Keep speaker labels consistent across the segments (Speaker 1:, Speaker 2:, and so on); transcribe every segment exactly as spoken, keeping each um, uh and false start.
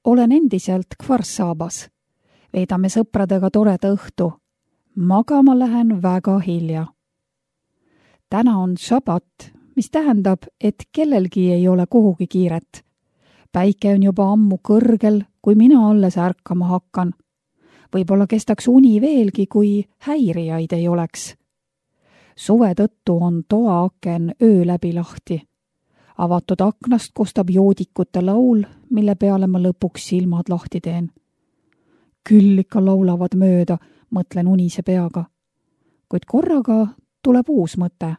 Speaker 1: olen endiselt Kvarsaabas. Veedame sõpradega toreda õhtu. Magama lähen väga hilja. Täna on šabat, mis tähendab, et kellelgi ei ole kuhugi kiiret. Päike on juba ammu kõrgel, kui mina alles ärkama hakkan. Võib-olla kestaks uni veelgi, kui häirijaid ei oleks. Suve tõttu on toaaken öö läbi lahti. Avatud aknast kostab joodikute laul, mille peale ma lõpuks silmad lahti teen. Küll ikka laulavad mööda, mõtlen unise peaga. Kuid korraga tuleb uus mõte.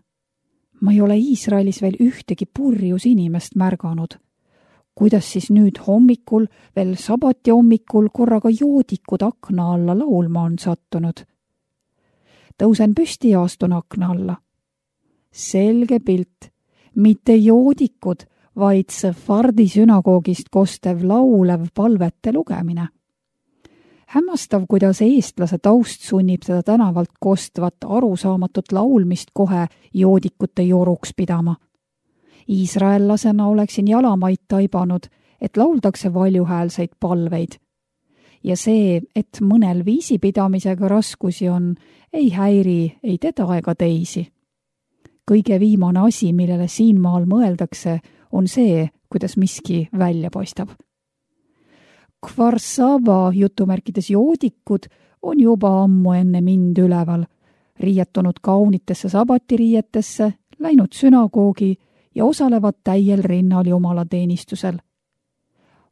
Speaker 1: Ma ei ole Iisraelis veel ühtegi purjus inimest märganud. Kuidas siis nüüd hommikul, veel sabati hommikul korraga joodikud akna alla laulma on sattunud? Tõusen püsti ja astun akna alla. Selge pilt, mitte joodikud, vaid Sefardi sünagoogist kostev laulev palvete lugemine. Hämmastav, kuidas eestlase taust sunnib seda tänavalt kostvat arusaamatut laulmist kohe joodikute joruks pidama. Iisraellasena oleksin jalamaid taibanud, et lauldakse valjuhäälseid palveid. Ja see, et mõnel viisipidamisega raskusi on, ei häiri ei teda ega teisi. Kõige viimane asi, millele siin maal mõeldakse, on see, kuidas miski välja paistab. Kvarsaaba jutumärkides joodikud on juba ammu enne mind üleval, riietunud kaunitesse sabatiriietesse, läinud sünagoogi ja osalevad täiel rinnal jumalateenistusel.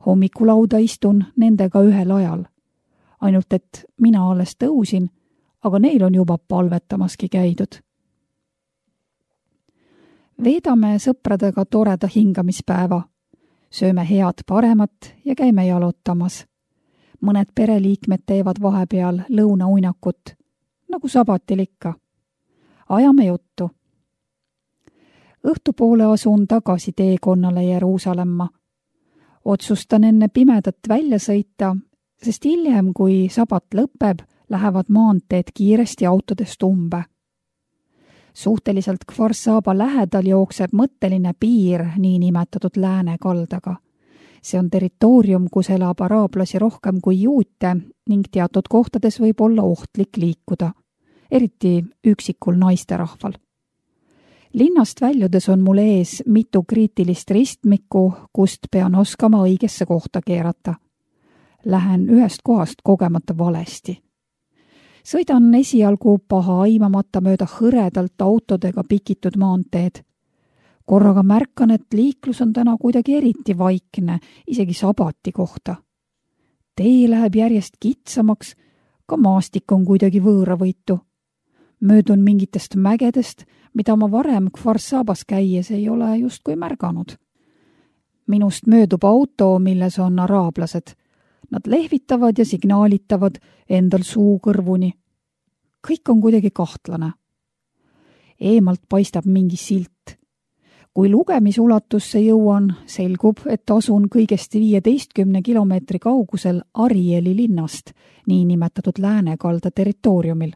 Speaker 1: Hommikulauda istun nendega ühel ajal. Ainult, et mina alles tõusin, aga neil on juba palvetamaski käidud. Veedame sõpradega toreda hingamispäeva. Sööme head paremat ja käime jalutamas. Mõned pereliikmed teevad vahepeal lõunauinakut, nagu sabatil ikka. Ajame juttu. Õhtupoole asun tagasi teekonnale Jeruusalemma. Otsustan enne pimedat välja sõita, sest hiljem, kui sabat lõpeb, lähevad maanteed kiiresti autodest umbe. Suhteliselt Kvarsaaba lähedal jookseb mõtteline piir niinimetatud lääne kaldaga. See on territoorium, kus elab araablasi rohkem kui juute ning teatud kohtades võib olla ohtlik liikuda, eriti üksikul naisterahval. Linnast väljudes on mul ees mitu kriitilist ristmikku, kust pean oskama õigesse kohta keerata. Lähen ühest kohast kogemata valesti. Sõidan esialgu paha aimamata mööda hõredalt autodega pikitud maanteed. Korraga märkan, et liiklus on täna kuidagi eriti vaikne, isegi sabati kohta. Tee läheb järjest kitsamaks, ka maastik on kuidagi võõravõitu. Möödun mingitest mägedest, mida ma varem Kvarsaabas käies ei ole justkui märganud. Minust möödub auto, milles on araablased. Nad lehvitavad ja signaalitavad endal suu kõrvuni. Kõik on kuidagi kahtlane. Eemalt paistab mingi silt. Kui lugemisulatusse jõuan, selgub, et asun kõigest viieteistkümne kilomeetri kaugusel Arieli linnast, niinimetatud läänekalda territooriumil.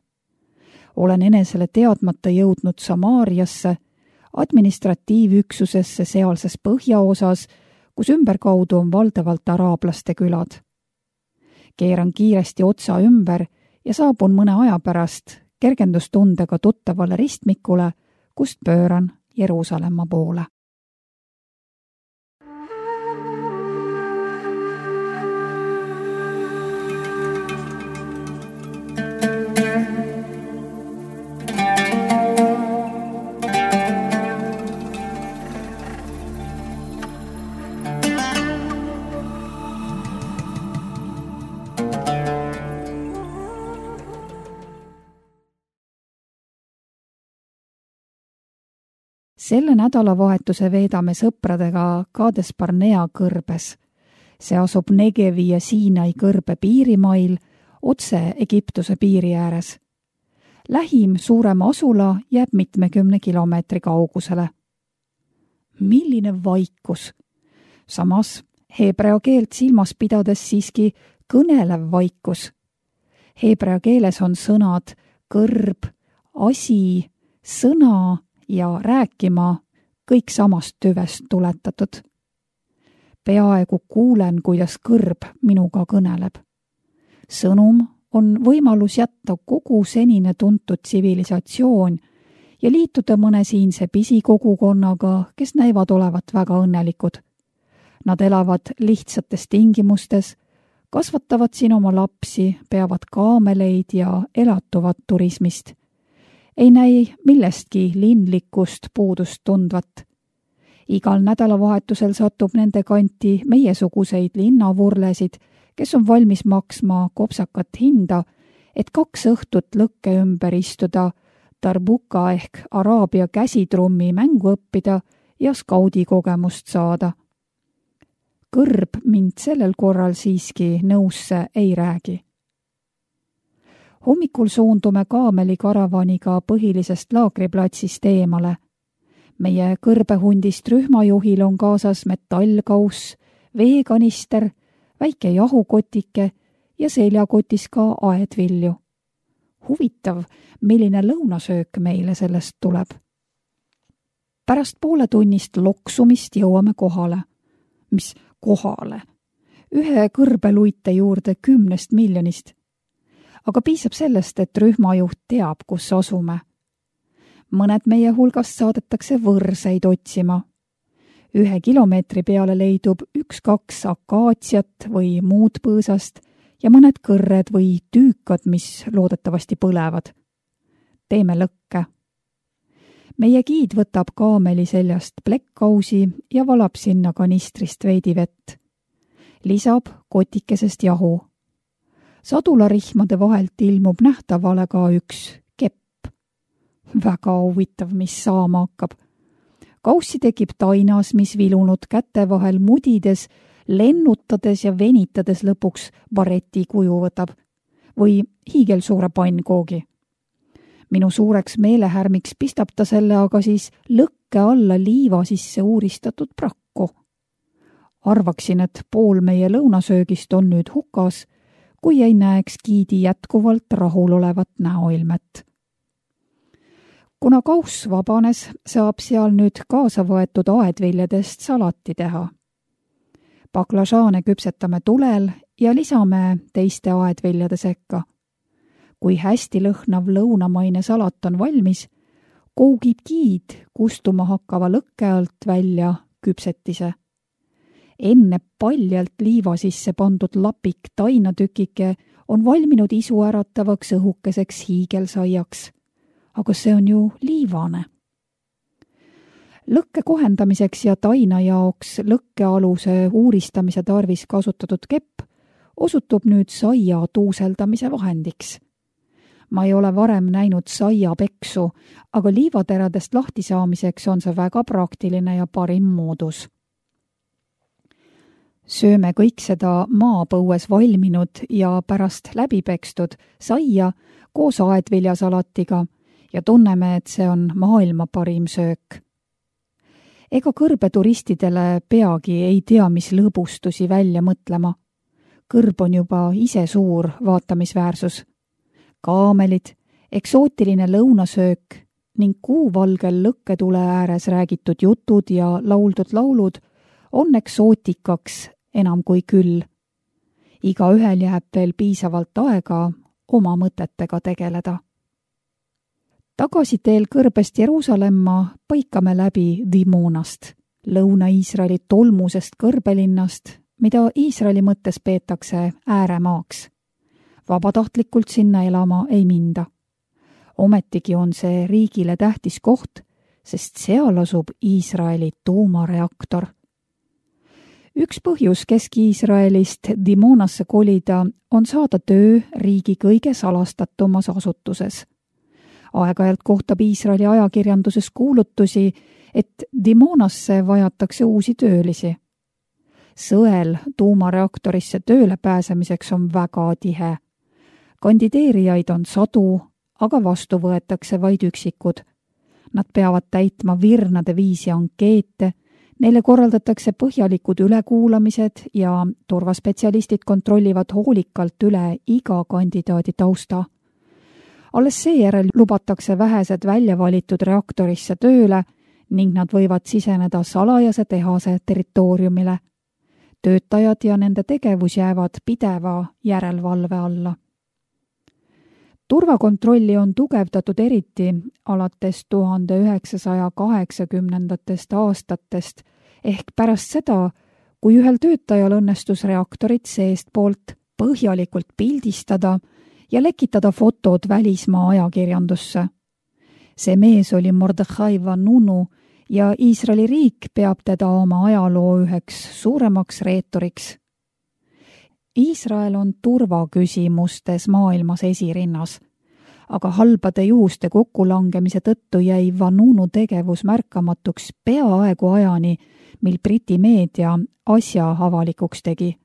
Speaker 1: Olen enesele teadmata jõudnud Samaariasse, administratiivüksusesse sealses põhjaosas, kus ümberkaudu on valdavalt araablaste külad. Keeran kiiresti otsa ümber ja saabun mõne aja pärast kergendustundega tuttavale ristmikule, kust pööran Jeruusalemma poole. Selle nädalavahetuse veedame sõpradega Kades Barnea kõrbes. See asub Negevi ja Siinai kõrbe piirimail, otse Egiptuse piiri ääres. Lähim suurem asula jääb mitmekümne kilomeetri kaugusele. Milline vaikus! Samas heebrea keelt silmas pidades siiski kõnelev vaikus. Heebrea keeles on sõnad kõrb, asi, sõna ja rääkima kõik samast tüvest tuletatud. peaaegu kuulen, kuidas kõrb minuga kõneleb. Sõnum on võimalus jätta kogu senine tuntud tsivilisatsioon ja liituda mõne siinse pisikogukonnaga, kes näivad olevat väga õnnelikud. Nad elavad lihtsates tingimustes, kasvatavad siin oma lapsi, peavad kaameleid ja elatuvad turismist. Ei näi millestki linlikust puudust tundvat. Igal nädalavahetusel satub nende kanti meiesuguseid linnavurlesid, kes on valmis maksma kopsakat hinda, et kaks õhtut lõkke ümber istuda, tarbuka ehk araabia käsitrummi mängu õppida ja skaudi kogemust saada. Kõrb mind sellel korral siiski nõusse ei räägi. Hommikul suundume kaameli-karavaniga põhilisest laagriplatsist eemale. Meie kõrbehundist rühmajuhil on kaasas metallkauss, veekanister, väike jahukotike ja seljakotis ka aedvilju. Huvitav, milline lõunasöök meile sellest tuleb. Pärast pooletunnist loksumist jõuame kohale. Mis kohale? Ühe kõrbeluite juurde kümnest miljonist. Aga piisab sellest, et rühmajuht teab, kus asume. Mõned meie hulgast saadetakse võrseid otsima. Ühe kilomeetri peale leidub üks-kaks akaatsiat või muud põõsast ja mõned kõrred või tüükad, mis loodetavasti põlevad. Teeme lõkke. Meie giid võtab kaameli seljast plekkausi ja valab sinna kanistrist veidi vett. Lisab kotikesest jahu. Sadularihmade vahelt ilmub nähtavale ka üks kepp. Väga huvitav, mis saama hakkab. Kaussi tekib tainas, mis vilunud käte vahel mudides, lennutades ja venitades lõpuks bareti kuju võtab või hiigelsuure pannkoogi. Minu suureks meelehärmiks pistab ta selle aga siis lõkke alla liiva sisse uuristatud prakku. Arvaksin, et pool meie lõunasöögist on nüüd hukas, kui ei näeks giidi jätkuvalt rahulolevat näoilmet. Kuna kauss vabanes, saab seal nüüd kaasa võetud aedviljadest salati teha. Baklažaane küpsetame tulel ja lisame teiste aedviljade sekka. Kui hästi lõhnav lõunamaine salat on valmis, kougib giid kustuma hakkava lõkke alt välja küpsetise. Enne paljalt liiva sisse pandud lapik tainatükike on valminud isu äratavaks õhukeseks hiigelsaiaks. Aga see on ju liivane. Lõkke kohendamiseks ja taina jaoks lõkkealuse uuristamise tarvis kasutatud kepp osutub nüüd saia tuuseldamise vahendiks. Ma ei ole varem näinud saia peksu, aga liivateradest lahti saamiseks on see väga praktiline ja parim moodus. Sööme kõik seda maapõues valminud ja pärast läbipekstud saia koos aedviljasalatiga ja tunneme, et see on maailma parim söök. Ega kõrbeturistidele peagi ei tea, mis lõbustusi välja mõtlema. Kõrb on juba ise suur vaatamisväärsus. Kaamelid, eksootiline lõunasöök ning kuuvalgel lõkketule ääres räägitud jutud ja lauldud laulud on eksootikaks enam kui küll. Iga ühel jääb veel piisavalt aega oma mõtetega tegeleda. Tagasiteel Kõrbest Jeruusalemma paikame läbi Dimonast, Lõuna-Iisraeli tolmusest kõrbelinnast, mida Iisraeli mõttes peetakse ääremaaks. Vabatahtlikult sinna elama ei minda. Ometigi on see riigile tähtis koht, sest seal asub Iisraeli tuumareaktor. Üks põhjus Kesk-Iisraelist Dimonasse kolida on saada töö riigi kõige salastatumas asutuses. Aeg-ajalt kohtab Iisraeli ajakirjanduses kuulutusi, et Dimonasse vajatakse uusi töölisi. Sõel tuumareaktorisse tööle pääsemiseks on väga tihe. Kandideerijaid on sadu, aga vastu võetakse vaid üksikud. Nad peavad täitma virnade viisi ankeete, neile korraldatakse põhjalikud ülekuulamised ja turvaspetsialistid kontrollivad hoolikalt üle iga kandidaadi tausta. Alles seejärel lubatakse vähesed välja valitud reaktorisse tööle ning nad võivad siseneda salajase tehase territooriumile. töötajad ja nende tegevus jäävad pideva järelevalve alla. Turvakontrolli on tugevdatud eriti alates tuhande üheksasaja kaheksakümnendatest aastatest ehk pärast seda, kui ühel töötajal õnnestus reaktorit seestpoolt põhjalikult pildistada ja lekitada fotod välismaa ajakirjandusse. See mees oli Mordechai Vanunu ja Iisraeli riik peab teda oma ajaloo üheks suuremaks reetoriks. Iisrael on turvaküsimustes maailmas esirinnas, aga halbade juhuste kokkulangemise tõttu jäi Vanunu tegevus märkamatuks peaaegu ajani, mil Briti meedia asja avalikuks tegi.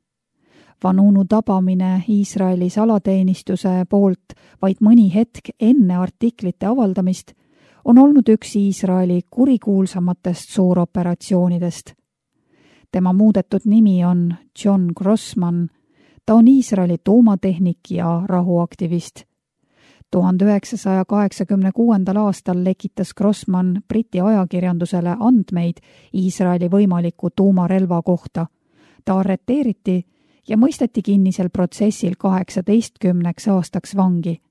Speaker 1: Vanunu tabamine Iisraeli salateenistuse poolt vaid mõni hetk enne artiklite avaldamist on olnud üks Iisraeli kurikuulsamatest suuroperatsioonidest. Tema muudetud nimi on John Grossman. Ta on Iisraeli tuumatehnik ja rahuaktivist. tuhande üheksasaja kaheksakümne kuuendal aastal lekitas Grossman Briti ajakirjandusele andmeid Iisraeli võimaliku tuumarelva kohta. Ta arreteeriti ja mõisteti kinnisel protsessil kaheksateistkümneks aastaks vangi.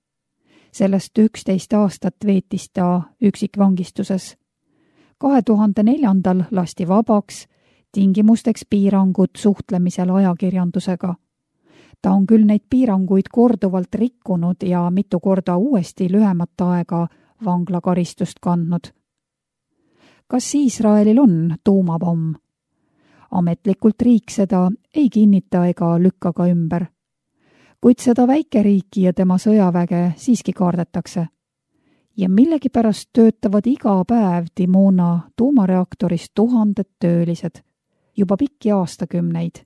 Speaker 1: Sellest üksteist aastat veetis ta üksikvangistuses. kahe tuhande neljandal lasti vabaks, tingimusteks piirangud suhtlemisel ajakirjandusega. Ta on küll neid piiranguid korduvalt rikkunud ja mitu korda uuesti lühemat aega vanglakaristust kandnud. Kas Iisraelil on tuumapomm? Ametlikult riik seda ei kinnita ega lükka ka ümber. Kuid seda väikeriiki ja tema sõjaväge siiski kaardetakse. Ja millegipärast töötavad iga päev Dimona tuumareaktoris tuhanded töölised. Juba pikki aastakümneid.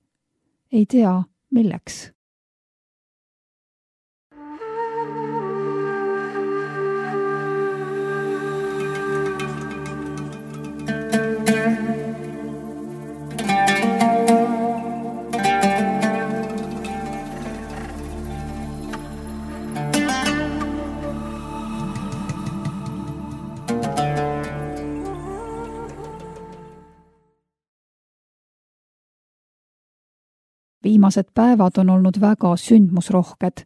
Speaker 1: Ei tea, milleks. Viimased päevad on olnud väga sündmusrohked,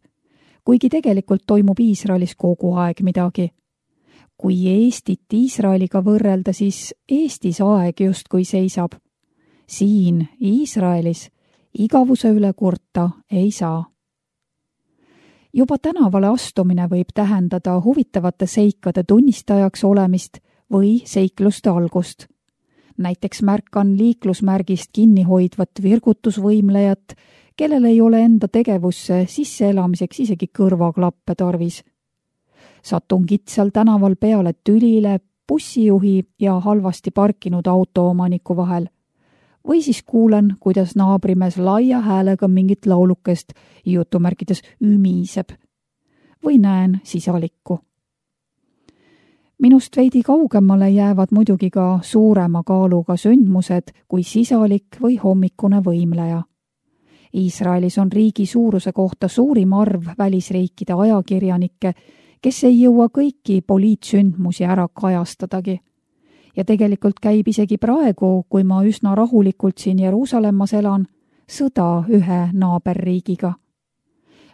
Speaker 1: kuigi tegelikult toimub Iisraelis kogu aeg midagi. Kui Eestit Iisraeliga võrrelda, siis Eestis aeg justkui seisab. Siin Iisraelis igavuse üle kurta ei saa. Juba tänavale astumine võib tähendada huvitavate seikade tunnistajaks olemist või seikluste algust. Näiteks märkan liiklusmärgist kinni hoidvat virgutusvõimlejat, kellel ei ole enda tegevusse sisseelamiseks isegi kõrvaklappe tarvis. Satun kitsal tänaval peale tülile bussijuhi ja halvasti parkinud autoomaniku vahel. Või siis kuulen, kuidas naabrimees laia häälega mingit laulukest jutumärkides ümiseb. Või näen sisalikku. Minust veidi kaugemale jäävad muidugi ka suurema kaaluga sündmused kui sisalik või hommikune võimleja. Iisraelis on riigi suuruse kohta suurim arv välisriikide ajakirjanikke, kes ei jõua kõiki poliitsündmusi ära kajastadagi. Ja tegelikult käib isegi praegu, kui ma üsna rahulikult siin Jeruusalemmas elan, sõda ühe naaberriigiga.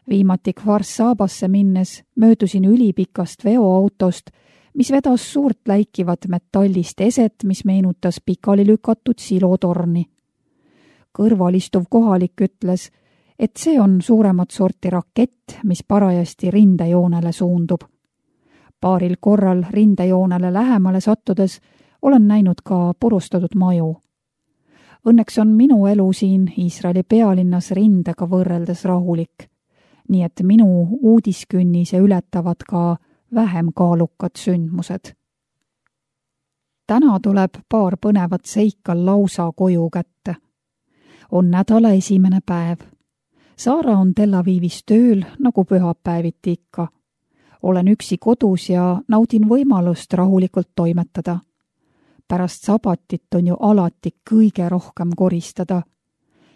Speaker 1: Viimati Kfar-Sabasse minnes möödusin ülipikast veoautost, mis vedas suurt läikivat metallist eset, mis meenutas pikali lükatud silotorni. Kõrval istuv kohalik ütles, et see on suuremat sorti rakett, mis parajasti rindejoonele suundub. Paaril korral rindejoonele lähemale sattudes olen näinud ka purustatud maju. Õnneks on minu elu siin Iisraeli pealinnas rindega võrreldes rahulik, nii et minu uudiskünnise ületavad ka vähem kaalukad sündmused. Täna tuleb paar põnevat seika lausa koju kätte. On nädala esimene päev. Saara on Tel Avivis tööl, nagu pühapäeviti ikka. Olen üksi kodus ja naudin võimalust rahulikult toimetada. Pärast sabatit on ju alati kõige rohkem koristada.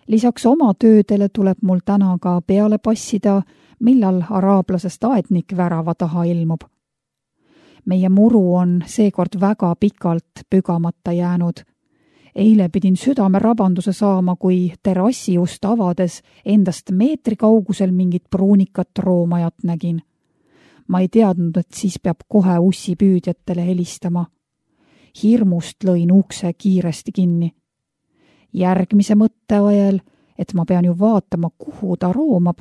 Speaker 1: Lisaks oma töödele tuleb mul täna ka peale passida, millal araablasest aednik värava taha ilmub. Meie muru on seekord väga pikalt pügamata jäänud. Eile pidin südame rabanduse saama, kui terrassi just avades endast meetri kaugusel mingit pruunikat roomajat nägin. Ma ei teadnud, et siis peab kohe ussipüüdjatele helistama. Hirmust lõin ukse kiiresti kinni. Järgmise mõtte ajal, et ma pean ju vaatama, kuhu ta roomab,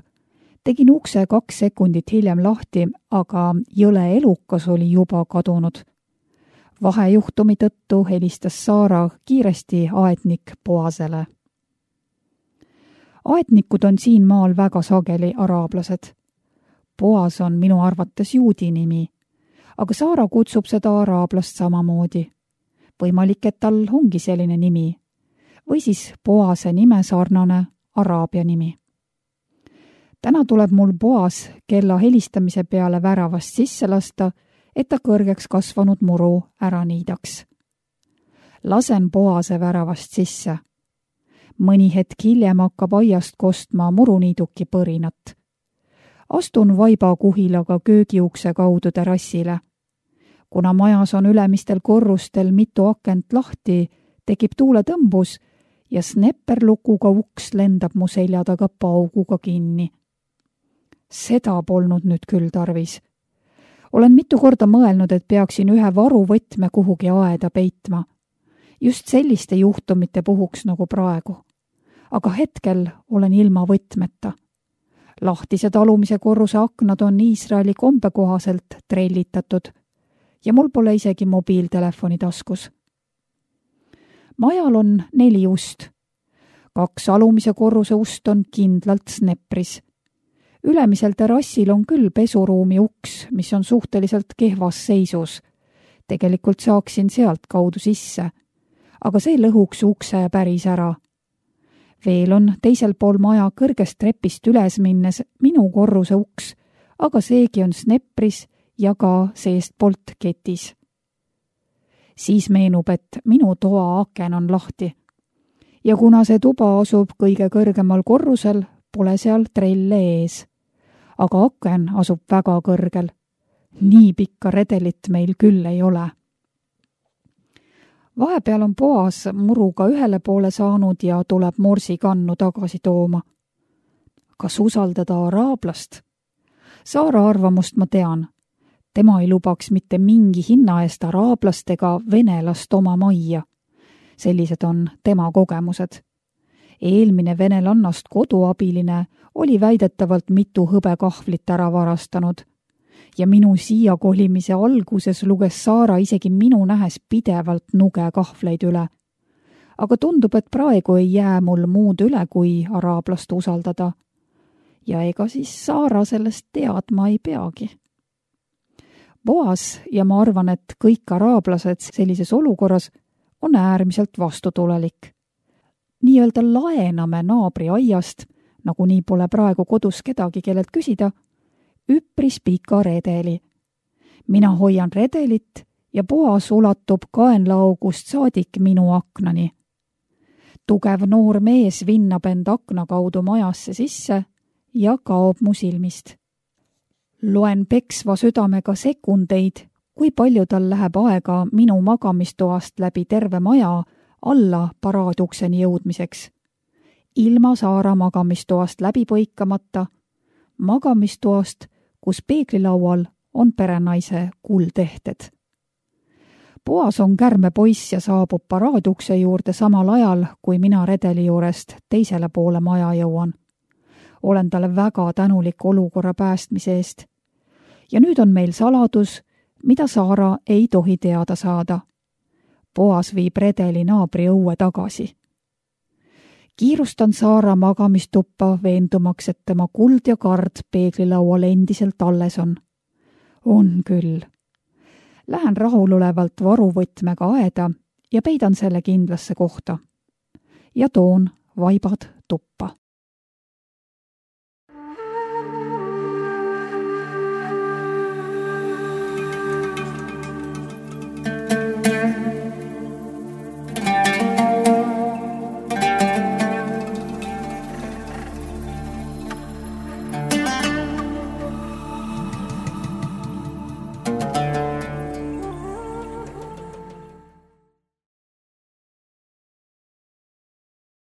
Speaker 1: tegin ukse kaks sekundit hiljem lahti, aga jõle elukas oli juba kadunud. Vahejuhtumi tõttu helistas Saara kiiresti aetnik Boasele. Aetnikud on siin maal väga sageli araablased. Boas on minu arvates juudi nimi, aga Saara kutsub seda araablast samamoodi. Võimalik, et tal ongi selline nimi, või siis Boase nime sarnane araabia nimi. Täna tuleb mul Boas kella helistamise peale väravast sisse lasta, et ta kõrgeks kasvanud muru ära niidaks. Lasen Boase väravast sisse. Mõni hetk hiljem hakkab aiast kostma muruniiduki põrinat. Astun vaiba kuhilaga köögiukse kaudu terrassile. Kuna majas on ülemistel korrustel mitu akent lahti, tekib tuuletõmbus ja snepperlukuga uks lendab mu selja taga pauguga kinni. Seda polnud nüüd küll tarvis. Olen mitu korda mõelnud, et peaksin ühe varuvõtme kuhugi aeda peitma. Just selliste juhtumite puhuks nagu praegu. Aga hetkel olen ilma võtmeta. Lahtised alumise korruse aknad on Iisraeli kombe kohaselt trellitatud ja mul pole isegi mobiiltelefoni taskus. Majal on neli ust. Kaks alumise korruse ust on kindlalt snepris. Ülemisel terrassil on küll pesuruumi uks, mis on suhteliselt kehvas seisus. Tegelikult saaksin sealt kaudu sisse, aga see lõhuks ukse päris ära. Veel on teisel pool maja kõrgest trepist üles minnes minu korruse uks, aga seegi on snepris ja ka seestpoolt ketis. Siis meenub, et minu toa aken on lahti. Ja kuna see tuba asub kõige kõrgemal korrusel, pole seal trelle ees. Aga aken asub väga kõrgel. Nii pikka redelit meil küll ei ole. Vahepeal on Boas muruga ühele poole saanud ja tuleb morsikannu tagasi tooma. Kas usaldada araablast? Saara arvamust ma tean. Tema ei lubaks mitte mingi hinna eest araablast ega venelast oma majja. Sellised on tema kogemused. Eelmine venelannast koduabiline oli väidetavalt mitu hõbekahvlit ära varastanud ja minu siia kolimise alguses luges Saara isegi minu nähes pidevalt nuge kahvleid üle. Aga tundub, et praegu ei jää mul muud üle, kui araablast usaldada. Ja ega siis Saara sellest teadma ei peagi. Boas ja ma arvan, et kõik araablased sellises olukorras on äärmiselt vastutulelik. Nii-öelda laename naabri aiast, nagu nii pole praegu kodus kedagi, kellelt küsida, üpris pika redeli. Mina hoian redelit ja Boas ulatub kaenlaaugust saadik minu aknani. Tugev noor mees vinnab end akna kaudu majasse sisse ja kaob mu silmist. Loen peksva südamega sekundeid, kui palju tal läheb aega minu magamistoast läbi terve maja alla paraadukseni jõudmiseks. Ilma Saara magamistoast läbi põikamata, magamistoast, kus peeglilaual on perenaise kuldehted. Boas on kärme poiss ja saabub paraadukse juurde samal ajal, kui mina redeli juurest teisele poole maja jõuan. Olen talle väga tänulik olukorra päästmise eest. Ja nüüd on meil saladus, mida Saara ei tohi teada saada. Boas viib redeli naabri õue tagasi. Kiirustan Saara magamistuppa veendumaks, et tema kuld ja kard peeglilaual endiselt alles on. On küll. Lähen rahulolevalt varuvõtmega aeda ja peidan selle kindlasse kohta. Ja toon vaibad tuppa.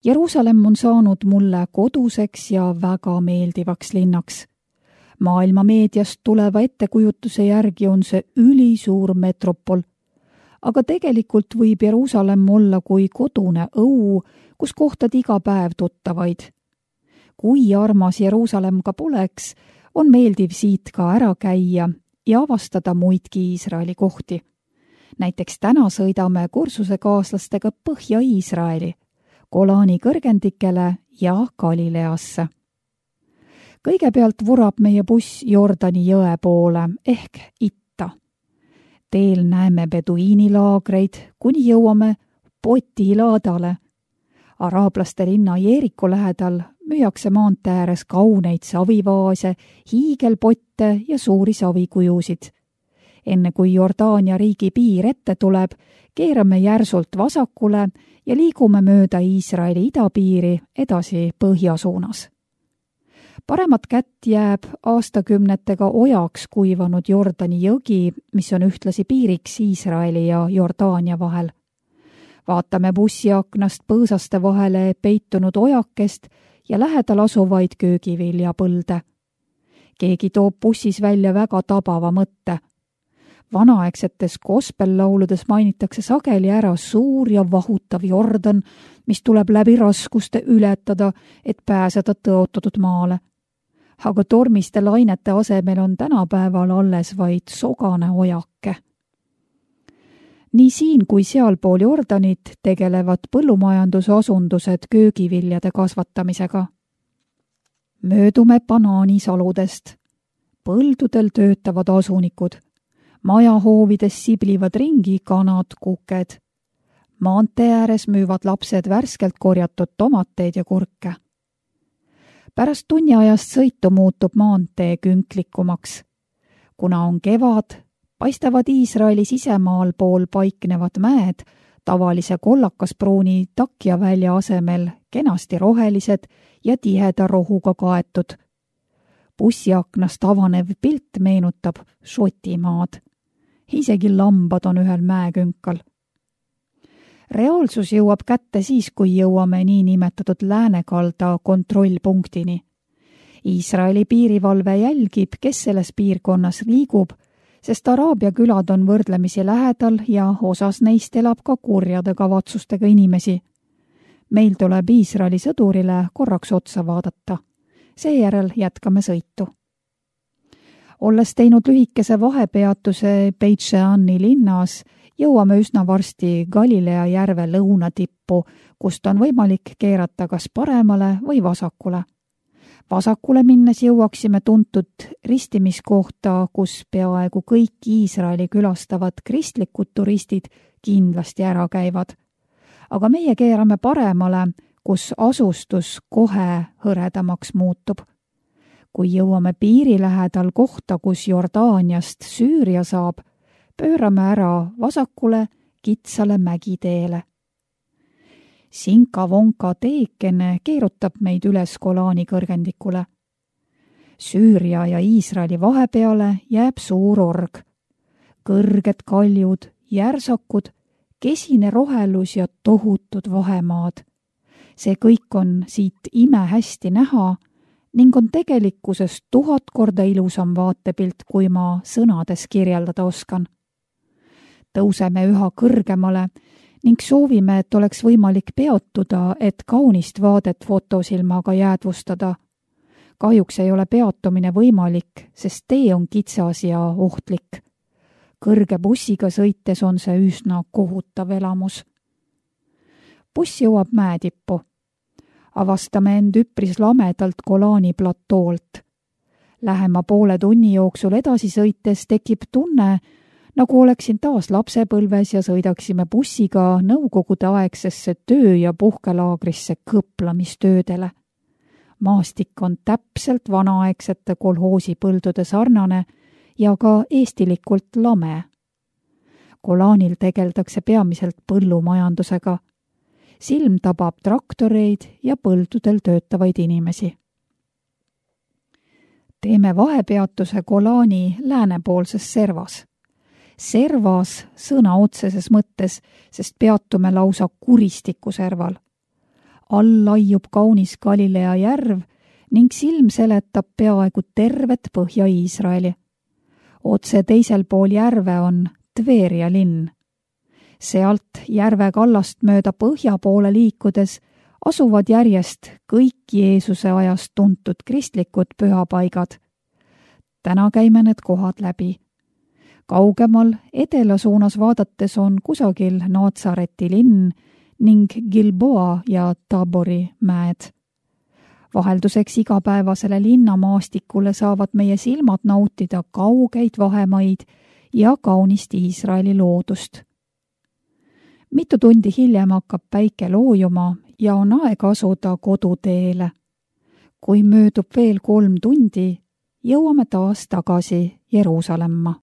Speaker 1: Jeruusalemm on saanud mulle koduseks ja väga meeldivaks linnaks. Maailma meediast tuleva ettekujutuse järgi on see ülisuur metropol. Aga tegelikult võib Jeruusalemm olla kui kodune õu, kus kohtad iga päev tuttavaid. Kui armas Jeruusalemm ka poleks, on meeldiv siit ka ära käia ja avastada muidki Iisraeli kohti. Näiteks täna sõidame kursusekaaslastega Põhja-Iisraeli, Golani kõrgendikele ja Galileasse. Kõigepealt vurab meie buss Jordani jõe poole ehk itta. Teel näeme beduiinilaagreid, kuni jõuame Poti laadale. Araablaste linna Jeeriku lähedal müüakse maantee ääres kauneid savivaase, hiigelpotte ja suuri savikujusid. Enne kui Jordaania riigi piir ette tuleb, keerame järsult vasakule ja liigume mööda Iisraeli idapiiri edasi põhja suunas. Paremat kätt jääb aastakümnetega ojaks kuivanud Jordani jõgi, mis on ühtlasi piiriks Iisraeli ja Jordaania vahel. Vaatame bussiaknast põõsaste vahele peitunud ojakest ja lähedal asuvaid köögiviljapõlde. Keegi toob bussis välja väga tabava mõtte. Vanaaegsetes gospel-lauludes mainitakse sageli ära suur ja vahutav Jordan, mis tuleb läbi raskuste ületada, et pääseda tõotatud maale. Aga tormiste lainete asemel on tänapäeval alles vaid sogane ojake. Nii siin kui sealpool Jordanit tegelevad põllumajandusasundused köögiviljade kasvatamisega. Möödume banaanisaludest. Põldudel töötavad asunikud. Majahoovides siblivad ringi kanad, kuked. Maantee ääres müüvad lapsed värskelt korjatud tomateid ja kurke. Pärast tunniajast sõitu muutub maantee künklikumaks. Kuna on kevad, paistavad Iisraeli sisemaal pool paiknevad mäed tavalise kollakaspruuni takjavälja asemel kenasti rohelised ja tiheda rohuga kaetud. Bussiaknast avanev pilt meenutab Šotimaad. Isegi lambad on ühel mäekünkal. Reaalsus jõuab kätte siis, kui jõuame nii nimetatud läänekalda kontrollpunktini. Iisraeli piirivalve jälgib, kes selles piirkonnas liigub, sest Araabia külad on võrdlemisi lähedal ja osas neist elab ka kurjade kavatsustega inimesi. Meil tuleb Iisraeli sõdurile korraks otsa vaadata. Seejärel jätkame sõitu. Olles teinud lühikese vahepeatuse Beit Sheani linnas, jõuame üsna varsti Galilea järve lõunatippu, kust on võimalik keerata kas paremale või vasakule. Vasakule minnes jõuaksime tuntud ristimiskohta, kus peaaegu kõik Iisraeli külastavad kristlikud turistid kindlasti ära käivad. Aga meie keerame paremale, kus asustus kohe hõredamaks muutub. Kui jõuame piiri lähedal kohta, kus Jordaaniast Süüria saab, pöörame ära vasakule kitsale mägiteele. Sinka-vonka teekene keerutab meid üles Golani kõrgendikule. Süüria ja Iisraeli vahepeale jääb suur org. Kõrged kaljud, järsakud, kesine rohelus ja tohutud vahemaad. See kõik on siit imehästi näha ning on tegelikkuses tuhat korda ilusam vaatepilt, kui ma sõnades kirjeldada oskan. Tõuseme üha kõrgemale ning soovime, et oleks võimalik peatuda, et kaunist vaadet fotosilmaga jäädvustada. Kahjuks ei ole peatumine võimalik, sest tee on kitsas ja ohtlik. Kõrge bussiga sõites on see üsna kohutav elamus. Buss jõuab mäetippu. Avastame end üpris lamedalt Golani platoolt. Lähema poole tunni jooksul edasi sõites tekib tunne, nagu oleksin taas lapsepõlves ja sõidaksime bussiga nõukogude aegsesse töö- ja puhkelaagrisse kõplamistöödele. Maastik on täpselt vanaaegsete kolhoosipõldude sarnane ja ka eestilikult lame. Golanil tegeldakse peamiselt põllumajandusega. Silm tabab traktoreid ja põldudel töötavaid inimesi. Teeme vahepeatuse Golani läänepoolses servas. Servas sõna otseses mõttes, sest peatume lausa kuristiku serval. all laiub kaunis Galilea järv ning silm seletab peaaegu tervet Põhja-Iisraeli. Otse teisel pool järve on Tveria linn. Sealt järve kallast mööda põhja poole liikudes asuvad järjest kõik Jeesuse ajast tuntud kristlikud pühapaigad. Täna käime need kohad läbi. Kaugemal edela suunas vaadates on kusagil Natsareti linn ning Gilboa ja Tabori mäed. Vahelduseks igapäevasele linnamaastikule saavad meie silmad nautida kaugeid vahemaid ja kaunist Iisraeli loodust. Mitu tundi hiljem hakkab päike loojuma ja on aeg asuda koduteele. Kui möödub veel kolm tundi, jõuame taas tagasi Jeruusalemma.